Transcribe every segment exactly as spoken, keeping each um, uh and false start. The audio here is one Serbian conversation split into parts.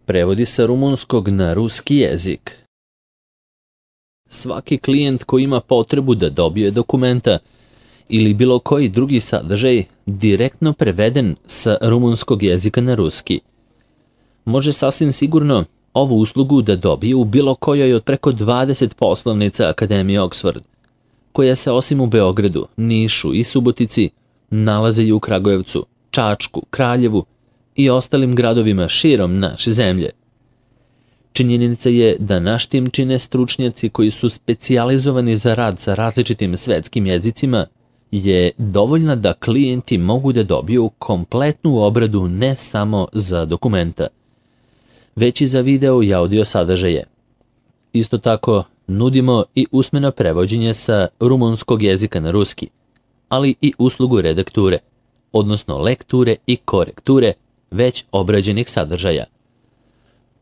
Prevodi sa rumunskog na ruski jezik. Svaki klijent koji ima potrebu da dobije dokumenta ili bilo koji drugi sadržaj direktno preveden sa rumunskog jezika na ruski, može sasvim sigurno ovu uslugu da dobije u bilo kojoj od preko dvadeset poslovnica Akademije Oxford, koja se osim u Beogradu, Nišu i Subotici nalaze i u Kragujevcu, Čačku, Kraljevu i ostalim gradovima širom naše zemlje. Činjenica je da naš tim čine stručnjaci koji su specijalizovani za rad sa različitim svetskim jezicima je dovoljna da klijenti mogu da dobiju kompletnu obradu ne samo za dokumenta, već i za video i audio sadržaje. Isto tako, nudimo i usmeno prevođenje sa rumunskog jezika na ruski, ali i uslugu redakture, odnosno lekture i korekture već obrađenih sadržaja.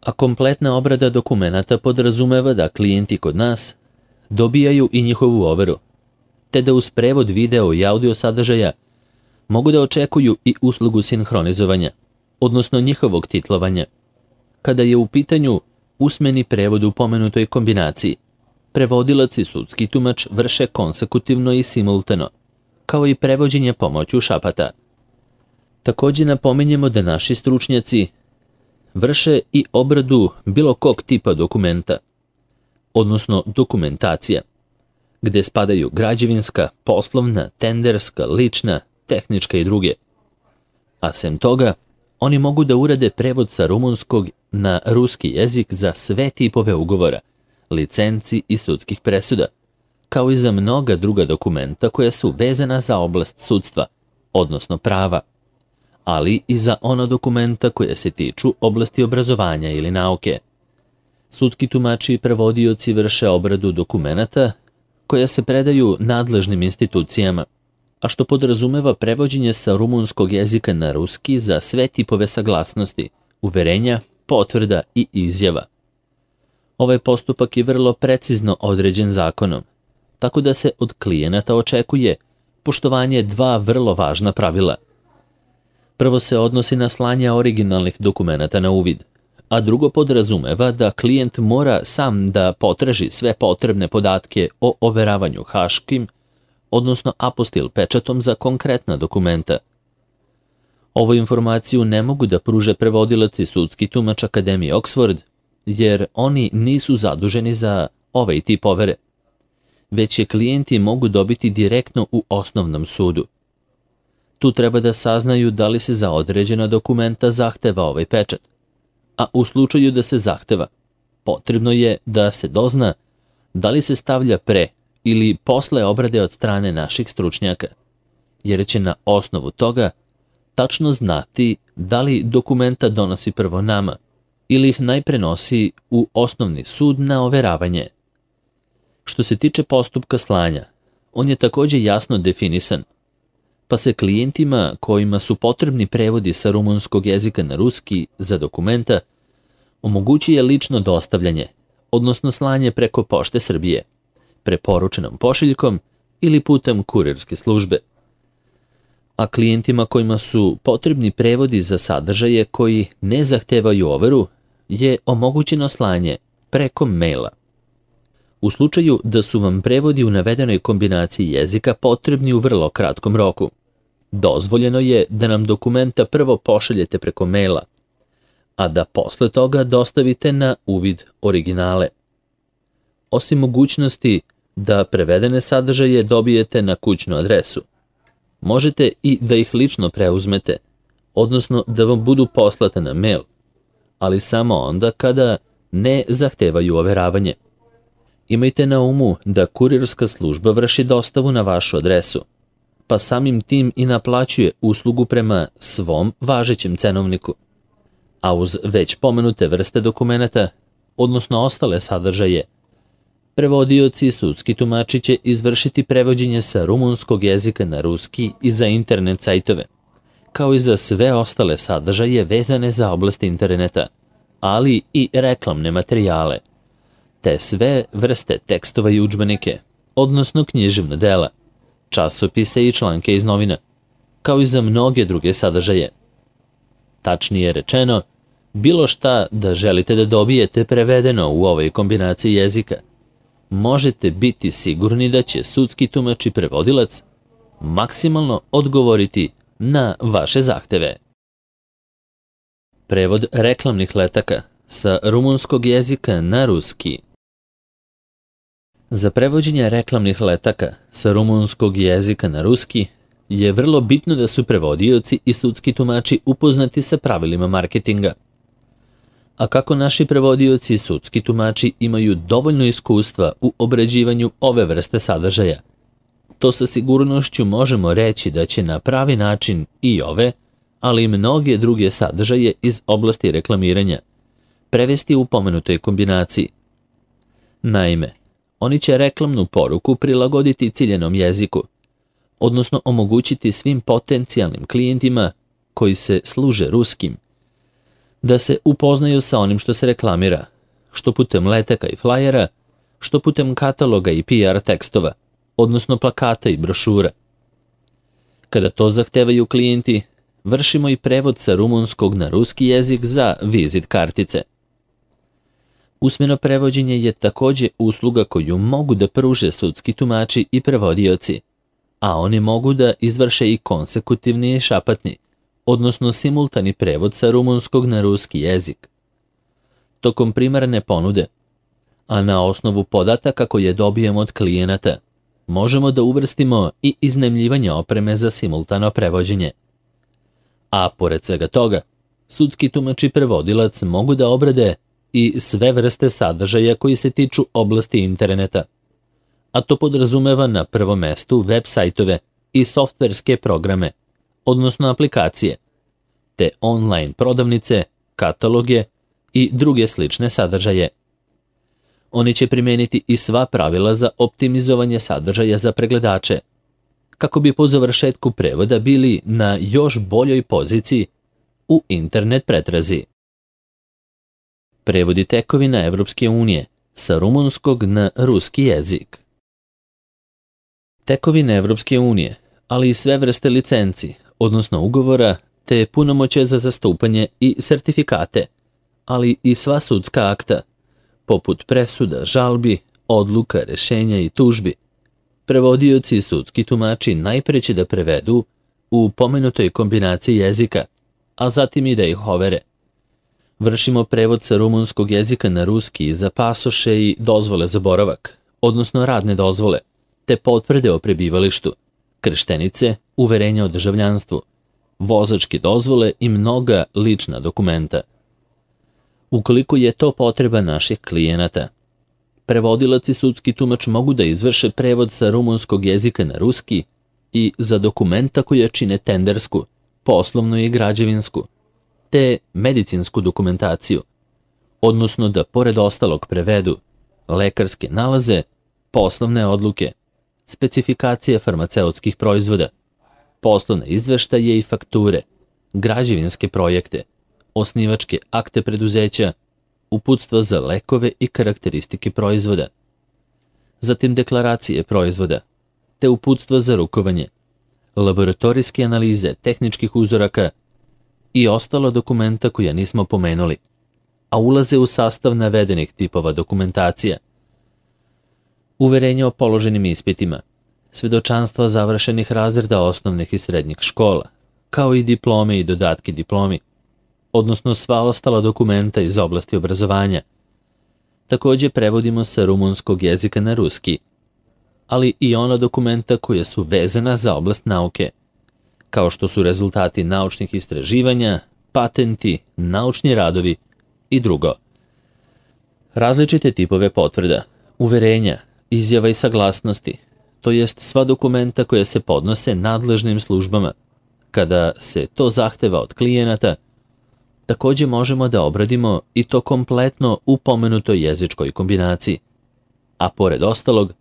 A kompletna obrada dokumenata podrazumeva da klijenti kod nas dobijaju i njihovu overu, te da uz prevod video i audio sadržaja mogu da očekuju i uslugu sinhronizovanja, odnosno njihovog titlovanja. Kada je u pitanju usmeni prevod u pomenutoj kombinaciji, prevodilac i sudski tumač vrše konsekutivno i simultano, kao i prevođenje pomoću šapata. Također napominjemo da naši stručnjaci vrše i obradu bilo kog tipa dokumenta, odnosno dokumentacija, gde spadaju građevinska, poslovna, tenderska, lična, tehnička i druge. A sem toga, oni mogu da urade prevod sa rumunskog na ruski jezik za sve tipove ugovora, licenci i sudskih presuda, kao i za mnoga druga dokumenta koja su vezana za oblast sudstva, odnosno prava, ali i za ona dokumenta koja se tiču oblasti obrazovanja ili nauke. Sudski tumači i prevodioci vrše obradu dokumenata koja se predaju nadležnim institucijama, a što podrazumeva prevođenje sa rumunskog jezika na ruski za sve tipove saglasnosti, uverenja, potvrda i izjava. Ovaj postupak je vrlo precizno određen zakonom, tako da se od klijenata očekuje poštovanje dva vrlo važna pravila. Prvo se odnosi na slanje originalnih dokumenata na uvid, a drugo podrazumeva da klijent mora sam da potraži sve potrebne podatke o overavanju haškim, odnosno apostil pečatom za konkretna dokumenta. Ovu informaciju ne mogu da pruže prevodilac i sudski tumač Akademije Oxford, jer oni nisu zaduženi za ovaj tip overe, već je klijenti mogu dobiti direktno u osnovnom sudu. Tu treba da saznaju da li se za određena dokumenta zahteva ovaj pečat, a u slučaju da se zahteva, potrebno je da se dozna da li se stavlja pre ili posle obrade od strane naših stručnjaka, jer će na osnovu toga tačno znati da li dokumenta donosi prvo nama ili ih najpre nosi u osnovni sud na overavanje. Što se tiče postupka slanja, on je također jasno definisan, pa se klijentima kojima su potrebni prevodi sa rumunskog jezika na ruski za dokumenta omogućuje lično dostavljanje, odnosno slanje preko Pošte Srbije, preporučenom pošiljkom ili putem kurirske službe. A klijentima kojima su potrebni prevodi za sadržaje koji ne zahtevaju overu je omogućeno slanje preko maila. U slučaju da su vam prevodi u navedenoj kombinaciji jezika potrebni u vrlo kratkom roku, dozvoljeno je da nam dokumenta prvo pošaljete preko maila, a da posle toga dostavite na uvid originale. Osim mogućnosti da prevedene sadržaje dobijete na kućnu adresu, možete i da ih lično preuzmete, odnosno da vam budu poslate na mail, ali samo onda kada ne zahtevaju overavanje. Imajte na umu da kurirska služba vrši dostavu na vašu adresu, pa samim tim i naplaćuje uslugu prema svom važećem cenovniku. A uz već pomenute vrste dokumenata, odnosno ostale sadržaje, prevodioci i sudski tumači će izvršiti prevođenje sa rumunskog jezika na ruski i za internet sajtove, kao i za sve ostale sadržaje vezane za oblast interneta, ali i reklamne materijale, te sve vrste tekstova i udžbenike, odnosno književna dela, časopise i članke iz novina, kao i za mnoge druge sadržaje. Tačnije rečeno, bilo šta da želite da dobijete prevedeno u ovoj kombinaciji jezika, možete biti sigurni da će sudski tumač i prevodilac maksimalno odgovoriti na vaše zahteve. Prevod reklamnih letaka sa rumunskog jezika na ruski. Za prevođenje reklamnih letaka sa rumunskog jezika na ruski je vrlo bitno da su prevodioci i sudski tumači upoznati sa pravilima marketinga. A kako naši prevodioci i sudski tumači imaju dovoljno iskustva u obrađivanju ove vrste sadržaja, to sa sigurnošću možemo reći da će na pravi način i ove, ali i mnoge druge sadržaje iz oblasti reklamiranja prevesti u pomenutoj kombinaciji. Naime, oni će reklamnu poruku prilagoditi ciljenom jeziku, odnosno omogućiti svim potencijalnim klijentima koji se služe ruskim da se upoznaju sa onim što se reklamira, što putem letaka i flajera, što putem kataloga i P R tekstova, odnosno plakata i brošura. Kada to zahtevaju klijenti, vršimo i prevod sa rumunskog na ruski jezik za vizit kartice. Usmeno prevođenje je također usluga koju mogu da pruže sudski tumači i prevodioci, a oni mogu da izvrše i konsekutivni i šapatni, odnosno simultani prevod sa rumunskog na ruski jezik. Tokom primarne ponude, a na osnovu podataka koje dobijemo od klijenata, možemo da uvrstimo i iznajmljivanje opreme za simultano prevođenje. A pored svega toga, sudski tumač i prevodilac mogu da obrade i sve vrste sadržaja koji se tiču oblasti interneta, a to podrazumeva na prvom mestu web sajtove i softverske programe, odnosno aplikacije, te online prodavnice, kataloge i druge slične sadržaje. Oni će primeniti i sva pravila za optimizovanje sadržaja za pregledače, kako bi po završetku prevoda bili na još boljoj poziciji u internet pretrazi. Prevodi tekovina Evropske unije sa rumunskog na ruski jezik. Tekovine Evropske unije, ali i sve vrste licenci, odnosno ugovora, te punomoće za zastupanje i sertifikate, ali i sva sudska akta, poput presuda, žalbi, odluka, rešenja i tužbi. Prevodioci i sudski tumači najpre će da prevedu u pomenutoj kombinaciji jezika, a zatim i da ih overe. Vršimo prevod sa rumunskog jezika na ruski za pasoše i dozvole za boravak, odnosno radne dozvole, te potvrde o prebivalištu, krštenice, uverenja o državljanstvu, vozačke dozvole i mnoga lična dokumenta. Ukoliko je to potreba naših klijenata, prevodilac i sudski tumač mogu da izvrše prevod sa rumunskog jezika na ruski i za dokumenta koje čine tendersku, poslovnu i građevinsku, te medicinsku dokumentaciju, odnosno da pored ostalog prevedu lekarske nalaze, poslovne odluke, specifikacije farmaceutskih proizvoda, poslovne izveštaje i fakture, građevinske projekte, osnivačke akte preduzeća, uputstva za lekove i karakteristike proizvoda, zatim deklaracije proizvoda, te uputstva za rukovanje, laboratorijske analize tehničkih uzoraka i ostala dokumenta koja nismo pomenuli, a ulaze u sastav navedenih tipova dokumentacija. Uverenje o položenim ispitima, svedočanstva završenih razreda osnovnih i srednjih škola, kao i diplome i dodatke diplomi, odnosno sva ostala dokumenta iz oblasti obrazovanja. Također prevodimo sa rumunskog jezika na ruski, ali i ona dokumenta koja su vezana za oblast nauke, kao što su rezultati naučnih istraživanja, patenti, naučni radovi i drugo. Različite tipove potvrda, uverenja, izjava i saglasnosti, to jest sva dokumenta koja se podnose nadležnim službama, kada se to zahteva od klijenata, također možemo da obradimo i to kompletno u pomenutoj jezičkoj kombinaciji. A pored ostalog,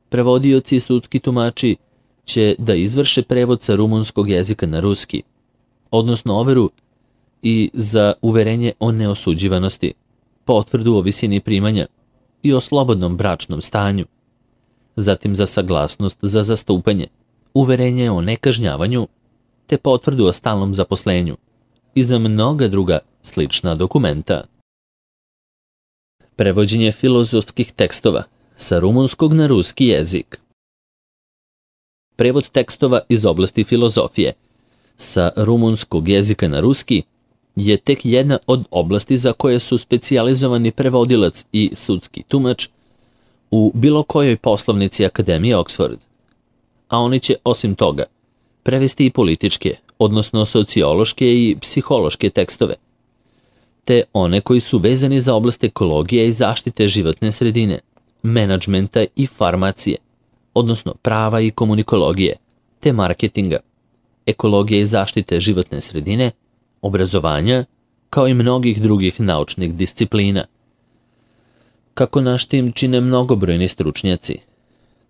prevodioci i sudski tumači će da izvrše prevod sa rumunskog jezika na ruski, odnosno overu i za uverenje o neosuđivanosti, potvrdu o visini primanja i o slobodnom bračnom stanju, zatim za saglasnost za zastupanje, uverenje o nekažnjavanju, te potvrdu o stalnom zaposlenju, i za mnoga druga slična dokumenta. Prevođenje filozofskih tekstova sa rumunskog na ruski jezik. Prevod tekstova iz oblasti filozofije sa rumunskog jezika na ruski je tek jedna od oblasti za koje su specijalizovani prevodilac i sudski tumač u bilo kojoj poslovnici Akademije Oxford. A oni će, osim toga, prevesti i političke, odnosno sociološke i psihološke tekstove, te one koji su vezani za oblast ekologije i zaštite životne sredine, menadžmenta i farmacije, odnosno prava i komunikologije, te marketinga, ekologije i zaštite životne sredine, obrazovanja, kao i mnogih drugih naučnih disciplina. Kako naš tim čine mnogobrojni stručnjaci,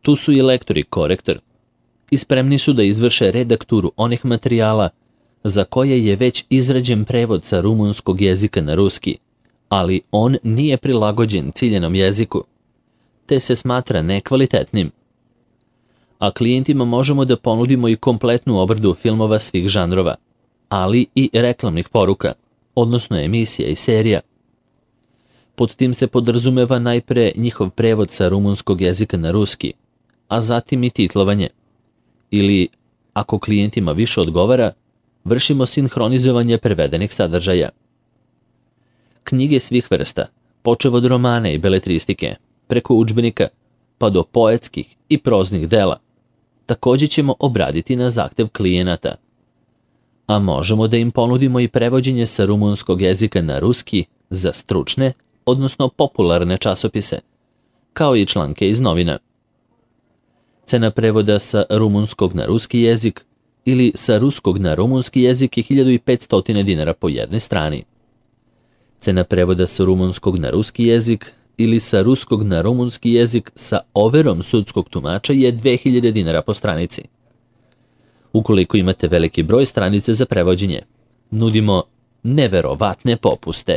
tu su i lektor i korektor, i spremni su da izvrše redakturu onih materijala za koje je već izrađen prevod sa rumunskog jezika na ruski, ali on nije prilagođen ciljenom jeziku, te se smatra nekvalitetnim. A klijentima možemo da ponudimo i kompletnu obradu filmova svih žanrova, ali i reklamnih poruka, odnosno emisija i serija. Pod tim se podrazumeva najpre njihov prevod sa rumunskog jezika na ruski, a zatim i titlovanje. Ili, ako klijentima više odgovara, vršimo sinhronizovanje prevedenih sadržaja. Knjige svih vrsta, počev od romana i beletristike, preko udžbenika, pa do poetskih i proznih dela, također ćemo obraditi na zahtev klijenata. A možemo da im ponudimo i prevođenje sa rumunskog jezika na ruski za stručne, odnosno popularne časopise, kao i članke iz novina. Cena prevoda sa rumunskog na ruski jezik ili sa ruskog na rumunski jezik je hiljadu petsto dinara po jednoj strani. Cena prevoda sa rumunskog na ruski jezik ili sa ruskog na rumunski jezik sa overom sudskog tumača je dve hiljade dinara po stranici. Ukoliko imate veliki broj stranice za prevođenje, nudimo neverovatne popuste.